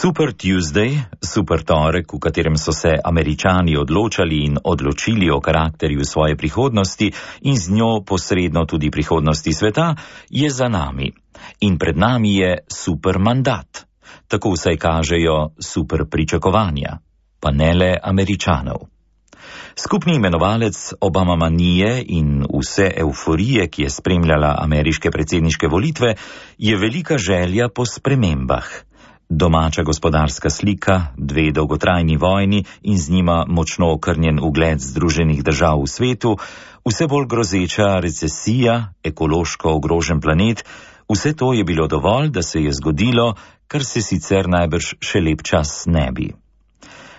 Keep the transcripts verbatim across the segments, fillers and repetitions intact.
Super Tuesday, super torek, v katerem so se Američani odločali in odločili o karakterju svoje prihodnosti in z njo posredno tudi prihodnosti sveta, je za nami. In pred nami je super mandat. Tako vsaj kažejo super pričakovanja, pa ne le Američanov. Skupni imenovalec Obamamanije in vse euforije, ki je spremljala ameriške predsedniške volitve, je velika želja po spremembah. Domača gospodarska slika, dve dolgotrajni vojni in z njima močno okrnjen ugled Združenih držav v svetu, vse bolj grozeča recesija, ekološko ogrožen planet, vse to je bilo dovolj, da se je zgodilo, kar se sicer najbrž še lep čas ne bi.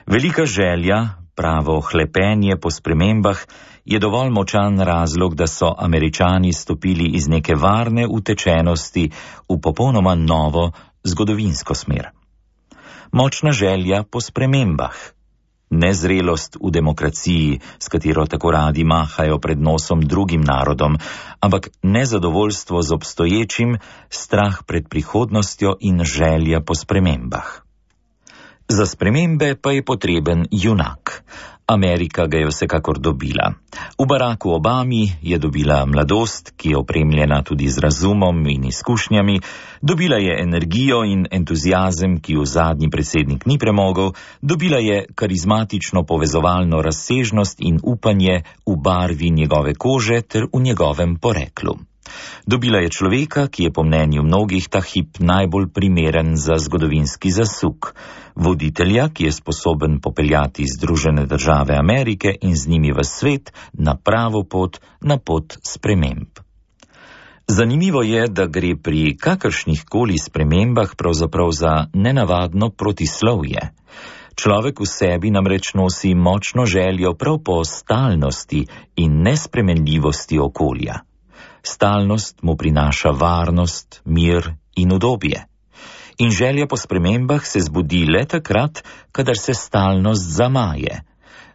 Velika želja, pravo hlepenje po spremembah, je dovolj močan razlog, da so Američani stopili iz neke varne utečenosti v popolnoma novo zgodovinsko smer. Močna želja po spremembah. Nezrelost v demokraciji, s katero tako radi mahajo pred nosom drugim narodom, ampak nezadovoljstvo z obstoječim, strah pred prihodnostjo in želja po spremembah. Za spremembe pa je potreben junak. Amerika ga je vsekakor dobila. V Baracku Obami je dobila mladost, ki je opremljena tudi z razumom in izkušnjami, dobila je energijo in entuziazem, ki v zadnji predsednik ni premogel, dobila je karizmatično povezovalno razsežnost in upanje v barvi njegove kože ter v njegovem poreklu. Dobila je človeka, ki je po mnenju mnogih ta hip najbolj primeren za zgodovinski zasuk. Voditelja, ki je sposoben popeljati Združene države Amerike in z njimi v svet na pravo pot, na pot sprememb. Zanimivo je, da gre pri kakršnih koli spremembah pravzaprav za nenavadno protislovje. Človek v sebi namreč nosi močno željo prav po stalnosti in nespremenljivosti okolja. Stalnost mu prinaša varnost, mir in udobje. In želja po spremembah se zbudi le takrat, kadar se stalnost zamaje.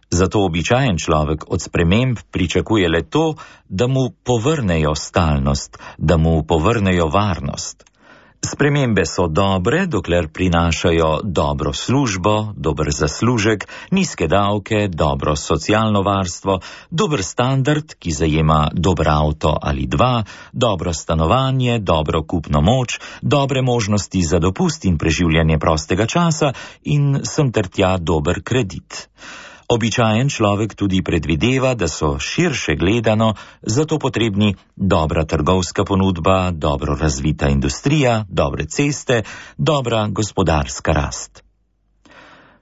Zato običajen človek od sprememb pričakuje le to, da mu povrnejo stalnost, da mu povrnejo varnost. Spremembe so dobre, dokler prinašajo dobro službo, dober zaslužek, nizke davke, dobro socialno varstvo, dober standard, ki zajema dober avto ali dva, dobro stanovanje, dobro kupno moč, dobre možnosti za dopust in preživljanje prostega časa in sem ter tja dober kredit. Običajen človek tudi predvideva, da so širše gledano zato potrebni dobra trgovska ponudba, dobro razvita industrija, dobre ceste, dobra gospodarska rast.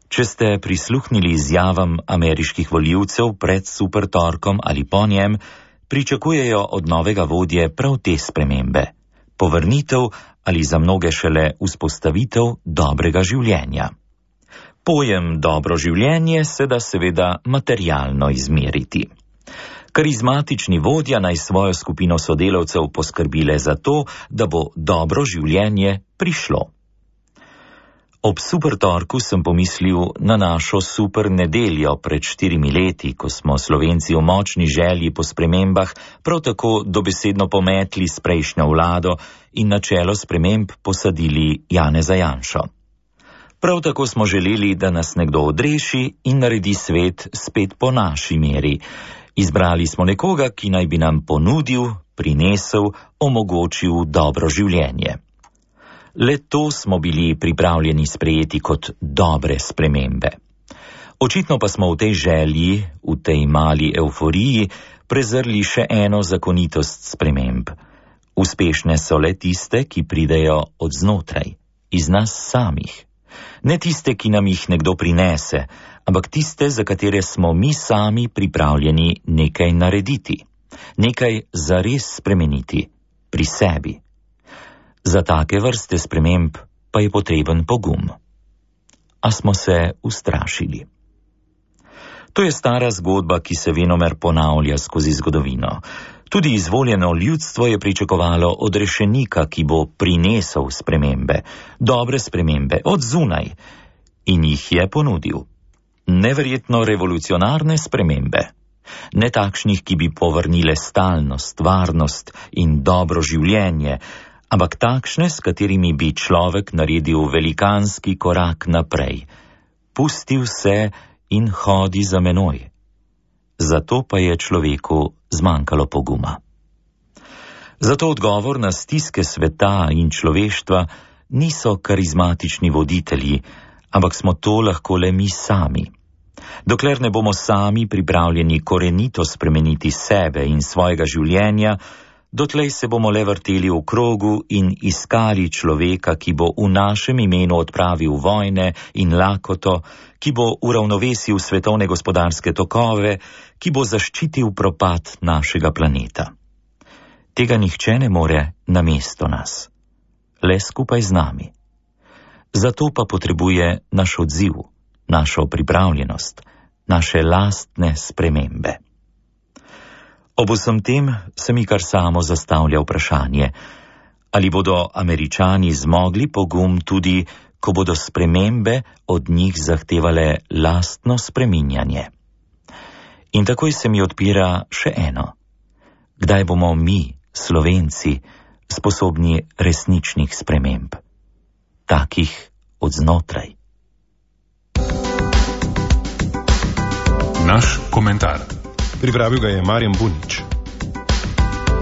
Če ste prisluhnili izjavam ameriških volivcev pred supertorkom ali po njem, pričakujejo od novega vodje prav te spremembe. Povrnitev ali za mnoge šele vzpostavitev dobrega življenja. Pojem dobro življenje se da seveda materialno izmeriti. Karizmatični vodja naj svojo skupino sodelavcev poskrbile za to, da bo dobro življenje prišlo. Ob supertorku sem pomislil na našo super nedeljo pred štirimi leti, ko smo Slovenci v močni želji po spremembah prav tako dobesedno pometli s prejšnjo vlado in na čelo sprememb posadili Janeza Janšo. Prav tako smo želeli, da nas nekdo odreši in naredi svet spet po naši meri. Izbrali smo nekoga, ki naj bi nam ponudil, prinesel, omogočil dobro življenje. Le to smo bili pripravljeni sprejeti kot dobre spremembe. Očitno pa smo v tej želji, v tej mali euforiji, prezrli še eno zakonitost sprememb. Uspešne so le tiste, ki pridejo od znotraj, iz nas samih. Ne tiste, ki nam jih nekdo prinese, ampak tiste, za katere smo mi sami pripravljeni nekaj narediti, nekaj zares spremeniti pri sebi. Za take vrste sprememb pa je potreben pogum. A smo se ustrašili. To je stara zgodba, ki se venomer ponavlja skozi zgodovino. Tudi izvoljeno ljudstvo je pričakovalo odrešenika, ki bo prinesel spremembe, dobre spremembe, od zunaj, in jih je ponudil. Neverjetno revolucionarne spremembe, ne takšnih, ki bi povrnile stalnost, varnost in dobro življenje, ampak takšne, s katerimi bi človek naredil velikanski korak naprej. Pusti vse in hodi za menoj. Zato pa je človeku zmanjkalo poguma. Zato odgovor na stiske sveta in človeštva niso karizmatični voditelji, ampak smo to lahko le mi sami. Dokler ne bomo sami pripravljeni korenito spremeniti sebe in svojega življenja, dotlej se bomo le vrteli v krogu in iskali človeka, ki bo v našem imenu odpravil vojne in lakoto, ki bo uravnovesil svetovne gospodarske tokove, ki bo zaščitil propad našega planeta. Tega nihče ne more namesto nas, le skupaj z nami. Zato pa potrebuje naš odziv, našo pripravljenost, naše lastne spremembe. Ob vsem tem se mi kar samo zastavlja vprašanje, ali bodo Američani zmogli pogum tudi, ko bodo spremembe od njih zahtevale lastno spreminjanje. In takoj se mi odpira še eno. Kdaj bomo mi, Slovenci, sposobni resničnih sprememb, takih od znotraj? Naš komentar. Pripravil ga je Marjan Bunič.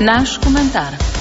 Naš komentar.